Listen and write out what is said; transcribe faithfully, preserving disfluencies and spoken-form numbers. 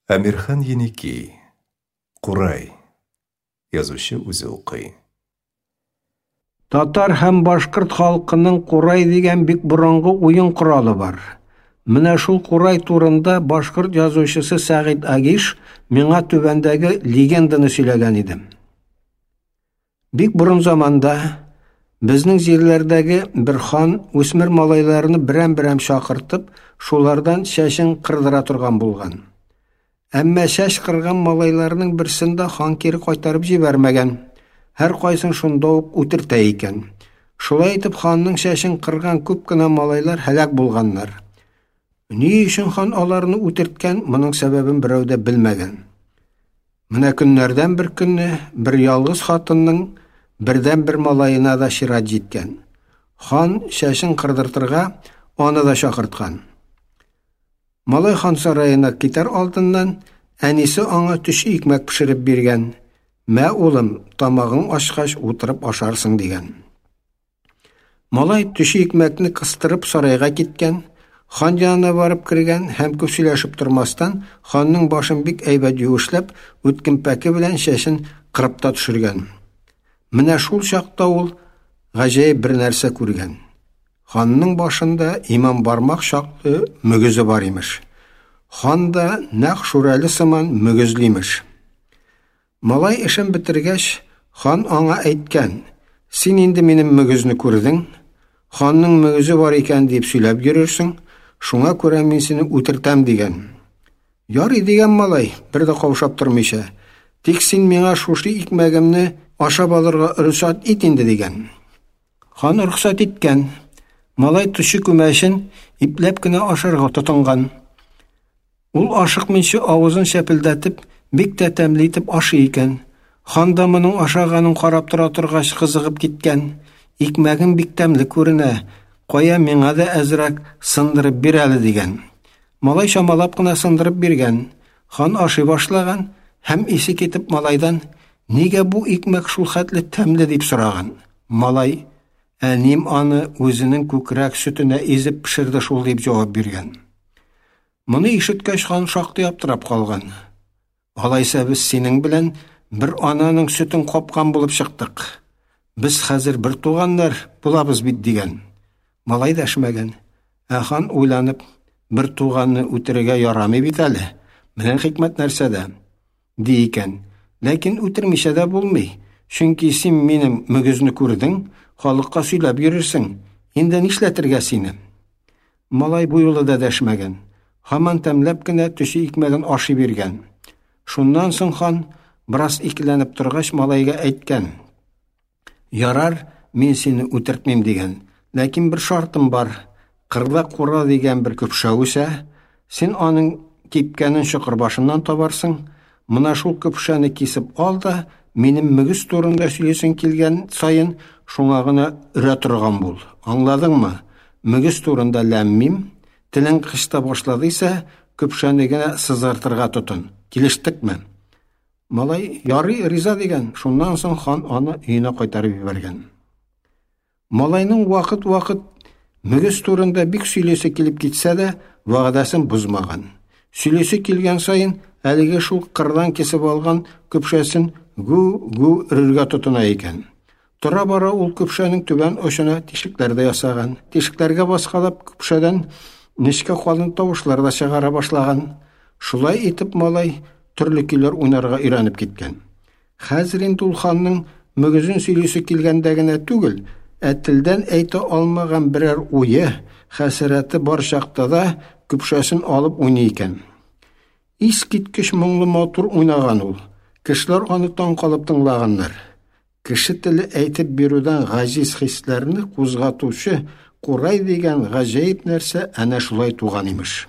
Әмирхан Еники. Курай. Язучы үзе укый. Татар һәм башкорт халкының курай дигән бик борынгы уен коралы бар. Менә шул курай турында башкорт язучысы Сәгыйть Агиш миңа түбәндәге легенданы сөйләгән иде. Бик борын заманда безнең җирләрдәге бер хан үсмер малайларны берәм-берәм чакыртып, шулардан чәчен кырдыра торган булган. Әмма чәч кырган малайларның берсен дә хан кире кайтарып җибәрмәгән. Һәр кайсын шунда ук үтертә икән. Шулай итеп ханның чәчен кырган күп кенә малайлар һәлак булганнар. Ни өчен хан аларны үтерткән, моның сәбәбен берәү дә белмәгән. Менә көннәрдән бер көнне бер ялгыз хатынның бердән-бер малаена да чират җиткән. Хан чәчен кырдыртырга аны да чакырткан. Малай хан сараена китәр алдыннан әнисе аңа төче икмәк пешереп биргән. Мә, улым, тамагың ачкач утырып ашарсың, дигән. Малай төче икмәкне кыстырып сарайга киткән, хан янына барып кергән һәм күп сөйләшеп тормастан ханның башын бик әйбәт юешләп, үткен пәке белән чәчен кырып та төшергән. Менә шул чакта ул гаҗәеп бер нәрсә күргән. Ханның башында иман бармак чаклы мөгезе бар имеш. Хан да нәкъ шүрәле сыман мөгезле имеш. Малай эшен бетергәч, хан аңа әйткән: "Син инде минем мөгезне күрдең, ханның мөгезе бар икән дип сөйләп йөрерсең, шуңа күрә мин сине үтертәм", дигән. "Ярый", дигән малай, бер дә каушап тормыйча. "Тик син миңа шушы икмәгемне ашап алырга рөхсәт ит инде", дигән. Хан рөхсәт иткән. Малай төче күмәчен ипләп кенә ашарга тотынган. Ул ашыкмыйча авызын шәпелдәтеп, бик тә тәмле итеп ашый икән. Хан да моның ашаганын карап тора торгач кызыгып киткән. Икмәгең бик тәмле күренә, кая миңа да әзрәк сындырып бир әле, дигән. Малай чамалап кына сындырып биргән. Хан ашый башлаган һәм исе китеп малайдан: "Нигә бу икмәк шул хәтле тәмле?" дип сораган. Малай: "Әним аны үзенең күкрәк сөтенә изеп пешерде шул", дип җавап биргән. Моны ишеткәч хан шактый аптырап калган. "Алайса без синең белән бер ананың сөтен капкан булып чыктык. Без хәзер бер туганнар булабыз бит", дигән. Малай дәшмәгән. Ә хан уйланып: "Бер туганны үтерергә ярамый бит әле. Менә хикмәт нәрсәдә", ди икән. "Ләкин үтермичә дә булмый. Чөнки син минем мөгезне күрдең, халыкка сөйләп йөрерсең. Инде нишләтергә сине?" Малай бу юлы да дәшмәгән. Һаман тәмләп кенә төче икмәген ашый биргән. Шуннан соң хан бераз икеләнеп торгач малайга әйткән: "Ярар, мин сине үтертмим", дигән. "Ләкин бер шартым бар. Кырда кура дигән бер көпшә үсә. Син аның кипкәнен чокыр башыннан табарсың. Менә шул көпшәне кисеп ал да, минем мөгез турында сөйлисең килгән саен шуңа гына өрә торган бул. Аңладыңмы? Мөгез турында ләм-мим, телең кычта башладыйса, көпшәне генә сызгыртырга тотын. Килештекме?" Малай: "Ярый, риза", дигән. Шуннан соң хан аны өенә кайтарып җибәргән. Малайның вакыт-вакыт мөгез турында бик сөйлисе килеп китсә дә, вәгъдәсен бозмаган. Сөйлисе килгән саен әлеге шул кырдан кисеп алган көпшәсен гү-гү өрергә тотына икән. Тора-бара ул көпшәнең түбән очына тишекләр дә ясаган. Тишекләргә баскалап көпшәдән нечкә калын тавышлар да чыгара башлаган. Шулай итеп малай төрле көйләр уйнарга өйрәнеп киткән. Хәзер инде ул ханның мөгезен сөйлисе килгәндә генә түгел, ә телдән әйтә алмаган берәр уе, хәсрәте бар чакта да көпшәсен алып уйный икән. Искиткеч моңлы матур уйнаган ул. Кешеләр аны таң калып тыңлаганнар. Кеше теле әйтеп бирүдән гаҗиз хисләрне кузгатучы курай дигән гаҗәеп нәрсә әнә шулай туган имеш.